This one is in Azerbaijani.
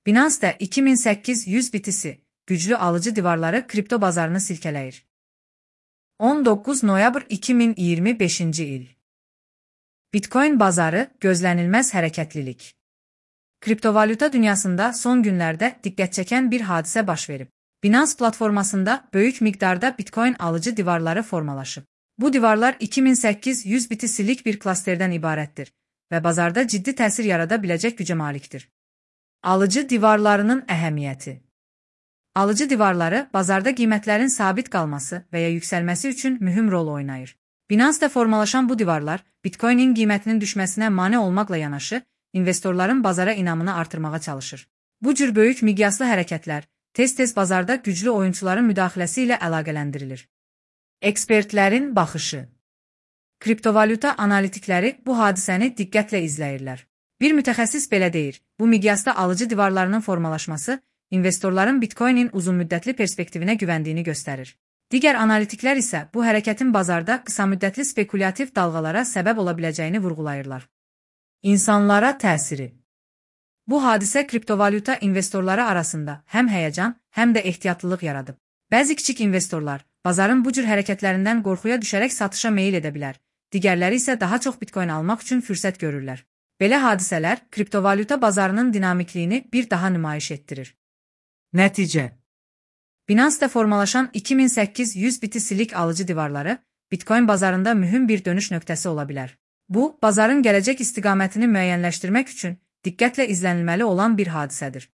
Binance 2800 BTC güclü alıcı divarları kripto bazarını silkeləyir. 19 noyabr 2025 il. Bitcoin bazarı gözlənilməz hərəkətlilik. Kriptovalyuta dünyasında son günlərdə diqqət çəkən bir hadisə baş verib. Binance platformasında böyük miqdarda Bitcoin alıcı divarları formalaşıb. Bu divarlar 2800 BTC-lik bir klasterdən ibarətdir və bazarda ciddi təsir yarada biləcək gücə malikdir. Alıcı divarlarının əhəmiyyəti. Alıcı divarları bazarda qiymətlərin sabit qalması və ya yüksəlməsi üçün mühüm rol oynayır. Binance-da formalaşan bu divarlar Bitcoin-in qiymətinin düşməsinə mane olmaqla yanaşı, investorların bazara inamını artırmağa çalışır. Bu cür böyük miqyaslı hərəkətlər tez-tez bazarda güclü oyunçuların müdaxiləsi ilə əlaqələndirilir. Ekspertlərin baxışı. Kriptovalyuta analitikləri bu hadisəni diqqətlə izləyirlər. Bir mütəxəssis belə deyir, bu miqyasda alıcı divarlarının formalaşması investorların Bitcoin-in uzunmüddətli perspektivinə güvəndiyini göstərir. Digər analitiklər isə bu hərəkətin bazarda qısamüddətli spekulyativ dalğalara səbəb ola biləcəyini vurğulayırlar. İnsanlara təsiri. Bu hadisə kriptovalyuta investorları arasında həm həyəcan, həm də ehtiyatlılıq yaradıb. Bəzi kiçik investorlar bazarın bu cür hərəkətlərindən qorxuya düşərək satışa meyil edə bilər, digərləri isə daha çox Bitcoin almaq üçün fürsət görürlər. Belə hadisələr kriptovalyuta bazarının dinamikliyini bir daha nümayiş etdirir. Nəticə. Binance-da formalaşan 2800 BTC-lik alıcı divarları Bitcoin bazarında mühüm bir dönüş nöqtəsi ola bilər. Bu, bazarın gələcək istiqamətini müəyyənləşdirmək üçün diqqətlə izlənilməli olan bir hadisədir.